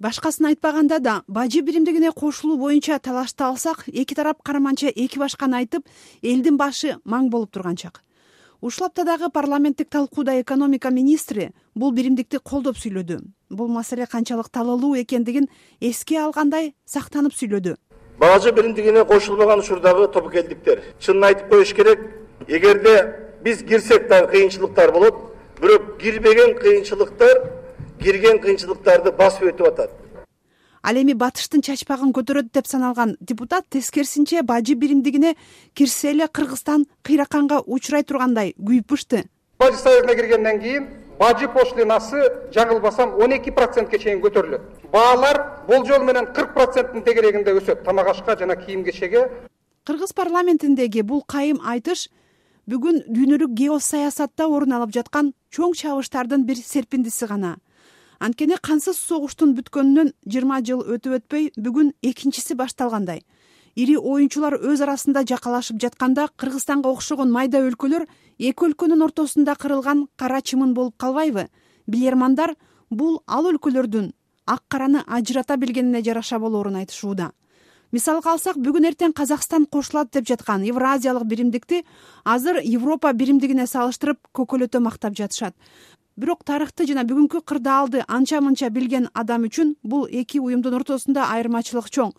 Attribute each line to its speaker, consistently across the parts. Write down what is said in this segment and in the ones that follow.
Speaker 1: Башкасын айтпаганда да бажы биримдигине кошулуу боюнча талашты алсак, эки тарап караманча эки башканы айтып, элдин башы маң болуп турган чак. Ушул аптадагы парламенттик талкууда экономика министри бул биримдикти колдоп сүйлөдү. Бул маселе канчалык талаалуу экендигин эске алгандай сактанып сүйлөдү.
Speaker 2: Бажы биримдигине кошулбаган учурдагы тобокелдиктер. Чынын айтып коюш керек, эгерде биз кирсек да кыйынчылыктар болот, бирок кирбеген кыйынчылыктарды басып өтүп атат.
Speaker 1: Ал эми батыштын чачпагын көтөрөт деп саналган депутат тескерисинче бажы биримдигине кирсе эле Кыргызстан кыйраканга учурай тургандай күйүп бышты.
Speaker 3: Бажы союзуна киргенден кийин бажы пошлинасы жаңылбасам 12%ке чейин көтөрүлөт. Баалар болжол менен 40%-ын тегерегинде өсөт. Тамак ашка жана кийим кечеге.
Speaker 1: Кыргыз парламентиндеги бул кайым айтыш бүгүн дүйнөлүк геосаясатта орун алып жаткан чоң чабыштардын бир серпиндиси гана. Анткени кансыз согуштун бүткөнүнөн 20 жыл өтөй бүгүн экинчиси башталгандай. Ири оюнчулар өз арасында жакалашып жатканда Кыргызстанга окшогон майда өлкөлөр эки өлкөнүн ортосунда кырылган кара чымын болуп калбайбы? Билермандар бул ал өлкөлөрдүн ак караны ажырата билгенине жараша болоорун айтышууда. Мисалга алсак, бүгүн эртең Казакстан кошулат деп жаткан Евразиялык биримдикти азыр Европа биримдигине салыштырып көкөлөтө мактап жатышат. Бирок тарыхты жана бүгүнкү кырдаалды анча-мынча билген адам үчүн бул эки уюмдун ортосунда айырмачылык чоң.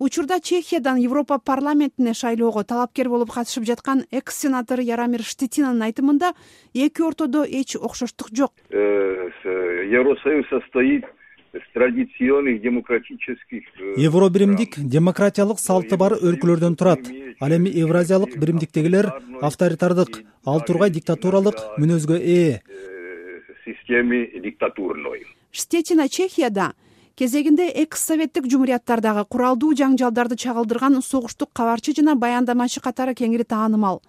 Speaker 1: Учурда Чехиядан Европа парламентине шайлоого талапкер болуп катышып жаткан экс-сенатор Яромир Штетинанын айтымында эки ортодо эч окшоштук жок.
Speaker 4: Евросоюз состоит из традиционных демократических.
Speaker 5: Евробиримдик демократиялык салты бар өлкөлөрдөн турат. Ал эми Евразиялык биримдиктегилер авторитардык, ал тургай диктатуралык мүнөзгө ээ.
Speaker 4: Системе диктатурной.
Speaker 1: Штетина Чехияда кезегинде экс-советтик жумурияттардагы куралдуу жаңжалдарды чагылдырган согуштук кабарчы жана баяндамачы катары кеңири таанымал.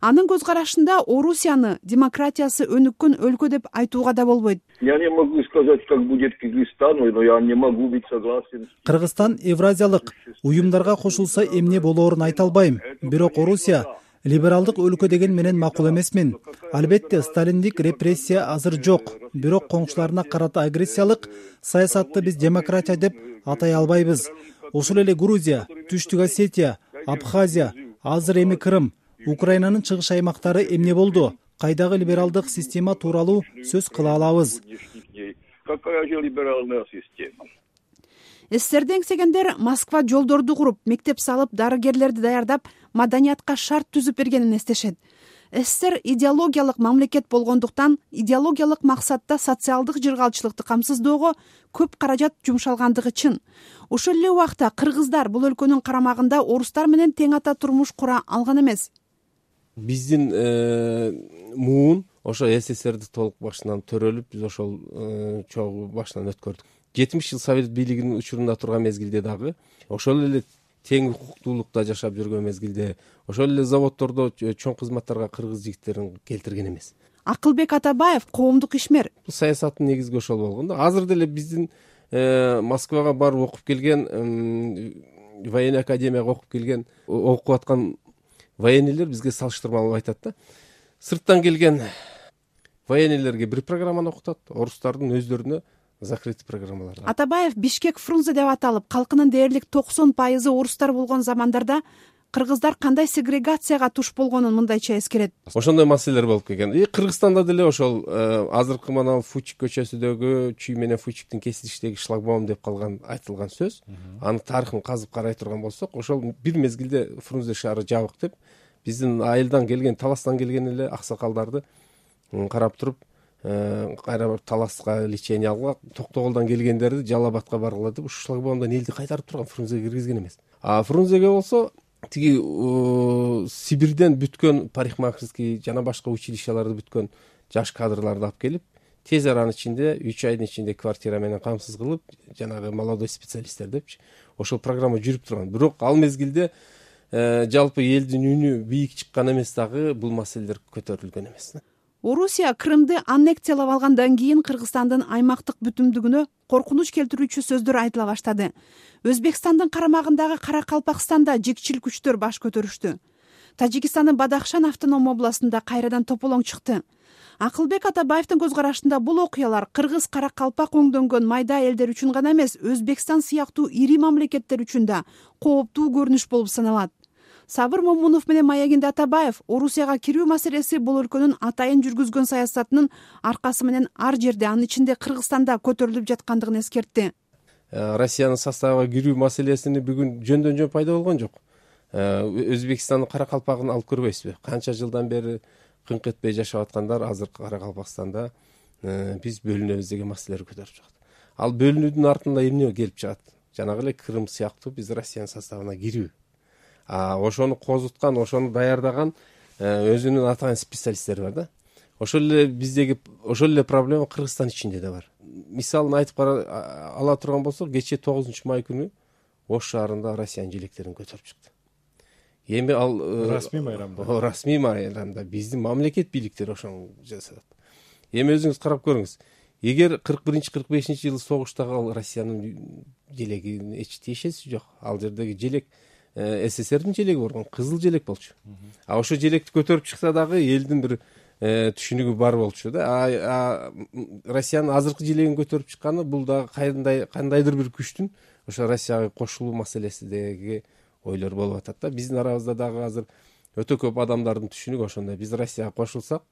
Speaker 1: Анын көз карашында Орусияны демократиясы өнүккөн өлкө деп айтууга да болбойт.
Speaker 4: Я не могу сказать, как будет Кыргызстан, но я не могу быть согласен.
Speaker 5: Кыргызстан Евразиялык уюмдарга кошулса эмне болоорун айта албайм. Бирок Орусия либералдык өлкө деген менен макул эмесмин. Албетте сталиндик репрессия азыр жок. Бирок коңшуларына карата агрессиялык саясатты биз демократия деп атай албайбыз. Ошол эле Грузия, Түштүк Осетия, Абхазия, азыр эми Крым, Украинанын чыгыш аймактары эмне болду? Кайдагы либералдык система тууралуу сөз кыла алабыз.
Speaker 4: Какая же либеральная система?
Speaker 1: СССРди эңсегендер Москва жолдорду куруп, мектеп салып, дарыгерлерди даярдап, маданиятка шарт түзүп бергенин эстешет. СССР идеологиялык мамлекет болгондуктан идеологиялык максатта социалдык жыргалчылыкты камсыздоого көп каражат жумшалгандыгы чын. Ошол эле убакта кыргыздар бул өлкөнүн карамагында орустар менен тең ата турмуш кура алган эмес.
Speaker 6: Биздин муун ошо СССРди толук башынан төрөлүп, биз ошол чогуу башынан өткөрдүк. 70 жыл Совет бийлигинин учурунда турган мезгилде дагы ошол эле тең укуктуулукта жашап жүргөн мезгилде ошол эле заводдордо чоң кызматтарга кыргыз жигиттерин келтирген эмес.
Speaker 1: Акылбек Атабаев коомдук ишмер.
Speaker 6: Бул саясаттын негизи ошол болгондо. Азыр деле биздин Москвага барып окуп келген, военный академияга окуп келген, окуп аткан военныйлер бизге салыштырмалуу айтат да. Сырттан келген военныйлерге бир программаны окутат, орустардын өздөрүнө закрытый программалар.
Speaker 1: Атабаев Бишкек Фрунзе деп аталып, калкынын дээрлик 90% орустар болгон замандарда кыргыздар кандай сегрегацияга туш болгонун мындайча эскерет.
Speaker 6: Ошондой маселелер болуп келген. Кыргызстанда деле ошол азыркы мына Фучик көчөсүдөгү Чүй менен Фучиктин кесилиштеги шлагбаум деп калган айтылган сөз. Анын тарыхын казып карай турган болсок, ошол бир мезгилде Фрунзе шаары жабык деп биздин айылдан келген, таластан келген эле аксакалдарды карап туруп, кайра таласка лечение алгыла, Токтоголдон келгендерди Жалал Абадка баргыла деп ушул шлагбаумдан элди кайтарып турган, Фрунзеге киргизген эмес. А Фрунзеге болсо тиги Сибирден бүткөн парикмахерский жана башка училищаларды бүткөн жаш кадрларды алып келип, тез аранын ичинде 3 айдын ичинде квартира менен камсыз кылып, жанагы молодой специалисттер депчи, ошол программа жүрүп турган. Бирок ал мезгилде жалпы элдин үнү бийик чыккан эмес дагы, бул маселелер көтөрүлгөн эмес.
Speaker 1: Орусия Крымды аннексиялап алгандан кийин Кыргызстандын аймактык бүтүндүгүнө коркунуч келтирүүчү сөздөр айтыла баштады. Өзбекстандын карамагындагы Каракалпакстанда жикчил күчтөр баш көтөрүштү. Тажикстандын Бадахшан автоном областында кайрадан тополоң чыкты. Акылбек Атабаевдин көз карашында бул окуялар кыргыз, каракалпак оңдөнгөн майда элдер үчүн гана эмес, Өзбекстан сыяктуу ири мамлекеттер үчүн да кооптуу көрүнүш болуп саналат. Сабыр Момунов менен Маягинде Атабаев Орусияга кирүү маселеси бул өлкөнүн атайын жүргүзгөн саясатынын аркасы менен ар жерде, анын ичинде Кыргызстанда көтөрүлүп жаткандыгын эскертти.
Speaker 6: Россиянын составына кирүү маселесини бүгүн жөндөн жөн пайда болгон жок. Өзбекстандын каракалпагын алып көрбөйсүзбү? Канча жылдан бери кыңк этпей жашап аткандар азыр Каракалпакстанда биз бөлүнөбүз деген маселелер көтөрүп чыгат. Ал бөлүнүүдүн артында эмне келип чыгат? Жанагы эле Крым сыяктуу биз Россиянын составына кирүү. Ошону козуткан, ошону даярдаган өзүнүн атайын специалисттери бар да. Ошол эле проблема Кыргызстан ичинде да бар. Мисалын айтып ала турган болсок, кечээ 9 май күнү Ош шаарында Россиянын желектерин көтөрүп чыкты. Эми ал расмий майрамда биздин мамлекет бийликтери ошону жасат. Эми өзүңүз карап көрүңүз. Эгер 41-45 жылы согуштагы ал Россиянын желегине эч тиешеси жок. Ал жердеги желек СССРдин желеги болгон, кызыл желек болчу. Ошо желекти көтөрүп чыкса дагы элдин бир түшүнүгү бар болчу да. Россиянын азыркы желегин көтөрүп чыкканы бул дагы кандайдыр бир күчтүн ошо Россияга кошулуу маселесидеги ойлор болуп атат да. Биздин арабызда дагы азыр өтө көп адамдардын түшүнүгү ошондой. Биз Россияга кошулсак,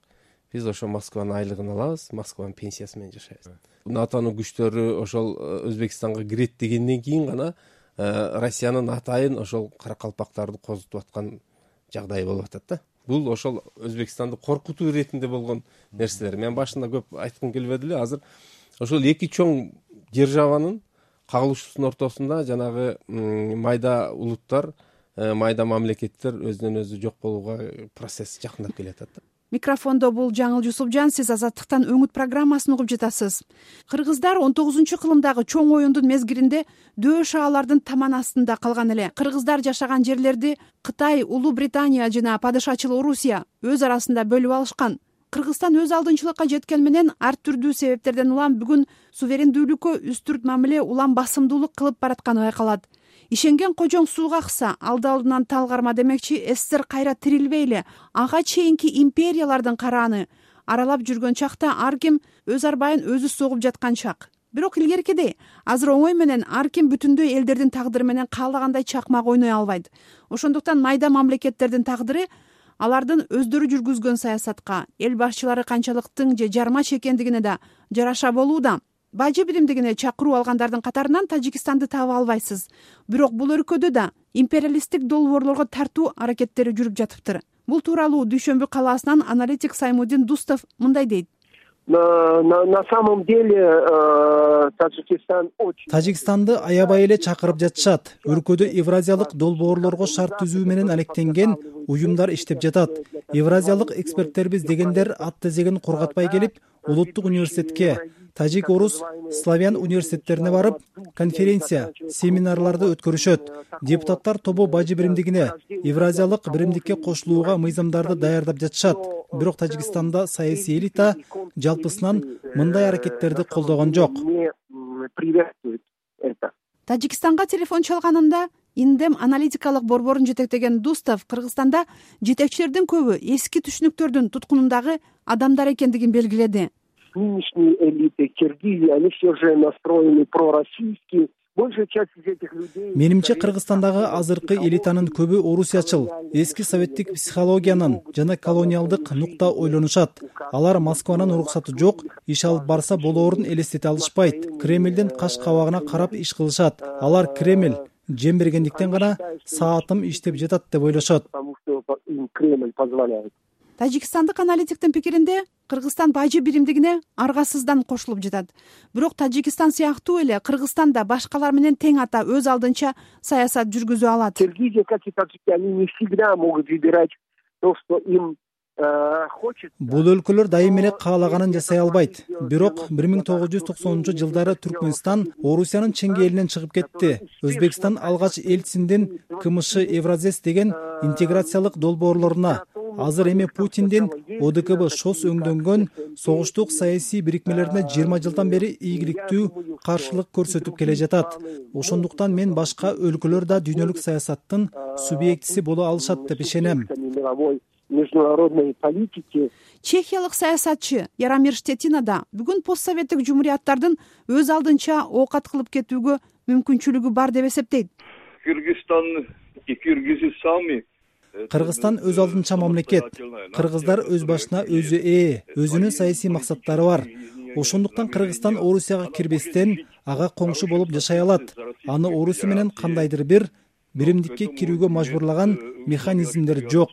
Speaker 6: биз ошо Москванын айлыгын алабыз, Москванын пенсиясы менен жашайбыз. НАТОнун күчтөрү ошол Өзбекстанга кирет дегенден кийин гана Россиянын атайын ошол каракалпактарды козутуп аткан жагдай болуп атат да. Бул ошол Өзбекстанды коркутуу иретинде болгон нерселер. Мен башында көп айткым келбеди эле. Азыр ошол эки чоң державанын кагылышуусунун ортосунда жанагы майда улуттар, майда мамлекеттер өзүнөн өзү жок болууга процесс жакындап келатат да.
Speaker 1: Микрофондо бул Жаңыл Жусупжан, сиз Азаттыктан өңүт программасын угуп жатасыз. Кыргыздар 19-кылымдагы чоң оюндун мезгилинде дөө шаалардын таман астында калган эле. Кыргыздар жашаган жерлерди Кытай, Улуу Британия жана падышачыл Орусия өз арасында бөлүп алышкан. Кыргызстан өз алдынчылыкка жеткен менен ар түрдүү себептерден улам бүгүн суверендүүлүккө үстүрт мамиле, улам басымдуулук кылып баратканы байкалат. Ишенген кожоң сууга акса, алды-алдынан тал карма демекчи, СССР кайра тирилбейли, ага чейинки империялардын карааны аралап жүргөн чакта ар ким өз арбайын өзү согуп жаткан чак. Бирок илгеркидей, азыр оңой менен ар ким бүтүндөй элдердин тагдыры менен каалагандай чакмак ойной албайт. Ошондуктан майда мамлекеттердин тагдыры алардын өздөрү жүргүзгөн саясатка, эл башчылары канчалык тың же жармач экендигине да жараша болууда. Бажы биримдигине чакыруу алгандардын катарынан Тажикстанды таба албайсыз. Бирок бул өлкөдө да империалисттик долбоорлорго тартуу аракеттери жүрүп жатыптыр. Бул тууралуу Дүйшөмбү калаасынан аналитик Саймудин Дустов мындай дейт.
Speaker 7: На самом деле
Speaker 5: Тажикстанды аябай эле чакырып жатышат. Өлкөдө евразиялык долбоорлорго шарт түзүү менен алектенген уюмдар иштеп жатат. Евразиялык эксперттербиз дегендер ат тезеген корготпай келип, улуттук университетке, тажик, орус, славян университеттерине барып, конференция, семинарларды өткөрүшөт. Депутаттар тобу бажы биримдигине, евразиялык биримдикке кошулууга мыйзамдарды даярдап жатышат. Бирок Тажикстанда саясий элита жалпысынан мындай аракеттерди колдогон жок.
Speaker 1: Тажикстанга телефон чалганымда Индем аналитикалык борборун жетектеген Дустов Кыргызстанда жетекчилердин көбү эски түшүнүктөрдүн туткунундагы адамдар экендигин белгиледи.
Speaker 7: Нынешние элиты Киргизии, они все же настроены пророссийски. Большая часть из этих людей...
Speaker 5: Менимче Кыргызстандагы азыркы элитанын көбү орусиячыл, эски советтик психологиянын жана колониалдык нукта ойлонушат. Алар Москванын уруксаты жок, иш алып барса болоорун элестете алышпайт. Кремлдин каш кабагына карап иш кылышат. Алар Кремль жем бергендиктен гана саатым иштеп жатат деп ойлошот.
Speaker 1: Тажикстандык аналитиктин пикиринде, Кыргызстан бажы биримдигине аргасыздан кошулуп жатат. Бирок Тажикстан сыяктуу эле Кыргызстан да башкалар менен тең ата өз алдынча саясат жүргүзө алат.
Speaker 7: Киргизия, как и таджики, они не всегда могут выбирать то, что им
Speaker 5: Бул өлкөлөр дайым эле каалаганын жасай албайт. Бирок 1990-жылдары Түркмөнстан Орусиянын чеңгээлинен чыгып кетти. Өзбекстан алгач элчисиндин КМШ Евразес деген интеграциялык долбоорлоруна, азыр эми Путиндин ОДКБ ШОС өңдөнгөн согуштук саясий бирикмелерине 20 жылдан бери ийгиликтүү каршылык көрсөтүп келе жатат. Ошондуктан мен башка өлкөлөр да дүйнөлүк саясаттын субъектиси боло алышат деп ишенем.
Speaker 7: международной политики.
Speaker 1: Чехиялык саясатчы Яромир Штетина да бүгүн постсоветтик жумурияттардын өз алдынча оокат кылып кетүүгө мүмкүнчүлүгү бар деп эсептейт.
Speaker 4: Кыргызстан и киргизы сами.
Speaker 5: Кыргызстан өз алдынча мамлекет. Кыргыздар өз башына өзү өзүнүн саясий максаттары бар. Ошондуктан Кыргызстан Орусияга кирбестен ага коңшу болуп жашай алат. Аны Орусия менен кандайдыр бир биримдикке кирүүгө мажбурлаган механизмдер жок.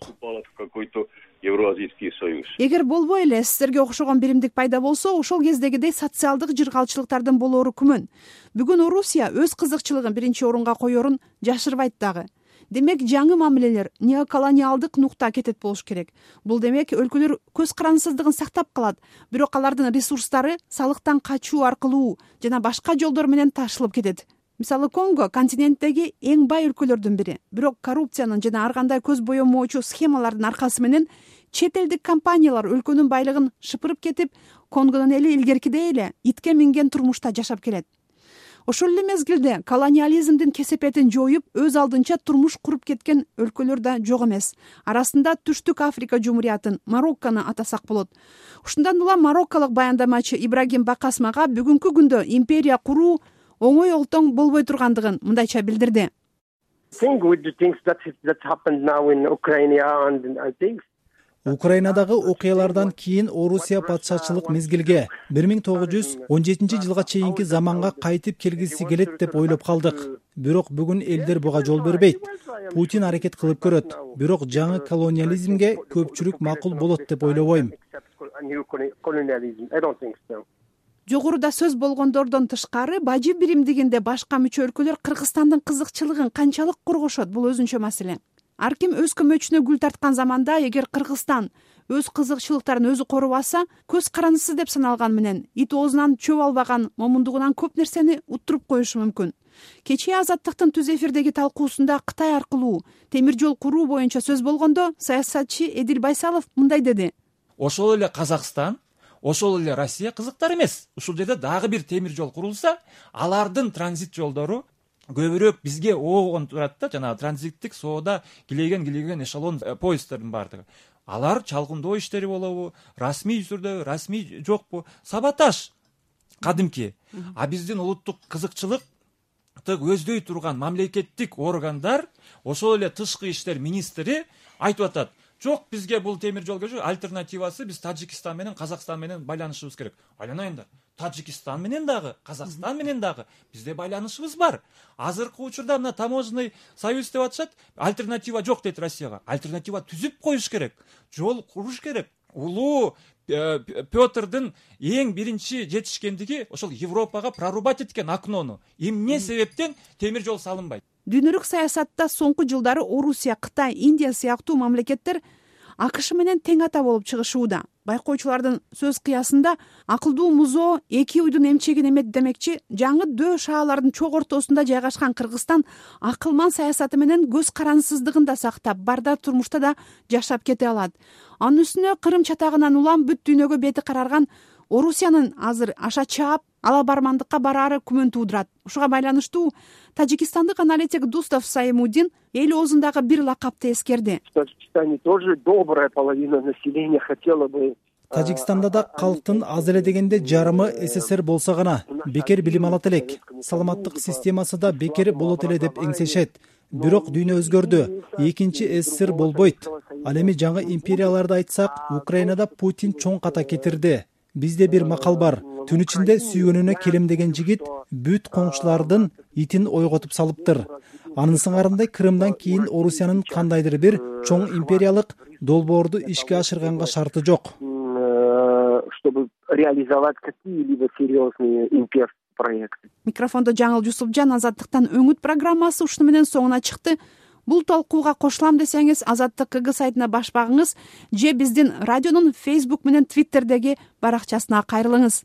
Speaker 7: Эгер
Speaker 1: болбой эле СССРге окшогон биримдик пайда болсо, ошол кездегидей социалдык жыргалчылыктардын болоору күмөн. Бүгүн Орусия өз кызыкчылыгын биринчи орунга коерун жашырбайт дагы. Демек жаңы мамилелер неоколониалдык нукта кетет болуш керек. Бул демек өлкөлөр көз карансыздыгын сактап калат, бирок алардын ресурстары салыктан качуу аркылуу жана башка жолдор менен ташылып кетет. Мисалы Конго континенттеги эң бай өлкөлөрдүн бири, бирок коррупциянын жана ар кандай көз боемоочу схемалардын аркасы менен чет элдик компаниялар өлкөнүн байлыгын шыпырып кетип, Конгонун эли илгеркидей эле итке минген турмушта жашап келет. Ошол эле мезгилде колониализмдин кесепетин жоюп, өз алдынча турмуш куруп кеткен өлкөлөр да жок эмес. Арасында Түштүк Африка жумуриятын, Мароккону атасак болот. Ушундан улам марокколук баяндамачы Ибрагим Бакасмага бүгүнкү күндө империя куруу оңой олтоң болбой тургандыгын мындайча билдирди.
Speaker 5: Украинадагы окуялардан кийин Орусия патшачылык мезгилге 1917 жылга чейинки заманга кайтып келгиси келет деп ойлоп калдык. Бирок бүгүн элдер буга жол бербейт. Путин аракет кылып көрөт. Бирок жаңы колониализмге көпчүлүк макул болот деп ойлобойм.
Speaker 1: Жогоруда сөз болгондордон тышкары бажы биримдигинде башка мүчө өлкөлөр Кыргызстандын кызыкчылыгын канчалык коргошот, бул өзүнчө маселе. Ар ким өз көмөчүнө гүл тарткан заманда эгер Кыргызстан өз кызыкчылыктарын өзү корубаса, көз карансыз деп саналган менен ит оозунан чөп албаган момундугунан көп нерсени уттуруп коюшу мүмкүн. Кечээ Азаттыктын түз эфирдеги талкуусунда Кытай аркылуу темир жол куруу боюнча сөз болгондо саясатчы Эдил Байсалов мындай деди.
Speaker 8: Ошол эле Казакстан, ошол эле Россия кызыктар эмес. Ушул жерде дагы бир темир жол курулса, алардын транзит жолдору көбүрөөк бизге оогон турат да, жанагы транзиттик соода килеген эшелон поезддердин баардыгы. Алар чалгындоо иштери болобу, расмий түрдө, расмий жокпу, саботаж кадимки. А биздин улуттук кызыкчылыкты көздөй турган мамлекеттик органдар, ошол эле тышкы иштер министри айтып атат: жок, бизге бул темир жол керек, альтернативасы биз Тажикстан менен Казакстан менен байланышыбыз керек. Айланайындар. Тажикстан менен дагы, Казакстан менен дагы бизде байланышыбыз бар. Азыркы учурда мына таможенный союз деп атышат, альтернатива жок дейт Россияга. Альтернатива түзүп коюш керек, жол куруш керек. Улуу Петрдин эң биринчи жетишкендиги ошол Европага прорубать эткен окнону. Эмне себептен темир жол салынбайт?
Speaker 1: Дүйнөлүк саясатта соңку жылдары Орусия, Кытай, Индия сыяктуу мамлекеттер АКШ менен тең ата болуп чыгышууда. Байкоочулардын сөз кыясында акылдуу музоо эки уйдун эмчегин эмет демекчи, жаңы дөө шаалардын чок ортосунда жайгашкан Кыргызстан акылман саясаты менен көз карансыздыгын да сактап, бардар турмушта да жашап кете алат. Анын үстүнө Кырым чатагынан улам бүт дүйнөгө бети карарган Орусиянын азыр аша чаап, ала бармандыкка бараары күмөн туудурат. Ушуга байланыштуу тажикстандык аналитик Дустав Саимуддин эл оозундагы бир лакапты эскерди.
Speaker 7: В Таджикистане тоже добрая половина населения хотела бы.
Speaker 5: Тажикстанда да калктын аз эле дегенде жарымы СССР болсо гана бекер билим алат элек. Саламаттык системасы да бекер болот эле деп эңсешет. Бирок дүйнө өзгөрдү. Экинчи СССР болбойт. Ал эми жаңы империяларды айтсак, Украинада Путин чоң ката кетирди. Бизде бир макал бар. Түн ичинде сүйгөнүнө келемдеген жигит бүт коңшулардын итин ойготуп салыптыр. Анын сыңарындай Крымдан кийин Орусиянын кандайдыр бир чоң империялык долбоорду ишке ашырганга шарты жок.
Speaker 7: Чтобы реализовать какие-либо серьезные имперские проекты.
Speaker 1: Микрофондо Жаңыл Жусупжан, Азаттыктан өңүт программасы ушуну менен соңуна чыкты. Бул талкууга кошулам десеңиз, Азаттык КГ сайтына баш багыңыз же биздин радионун Facebook менен Twitterдеги баракчасына кайрылыңыз.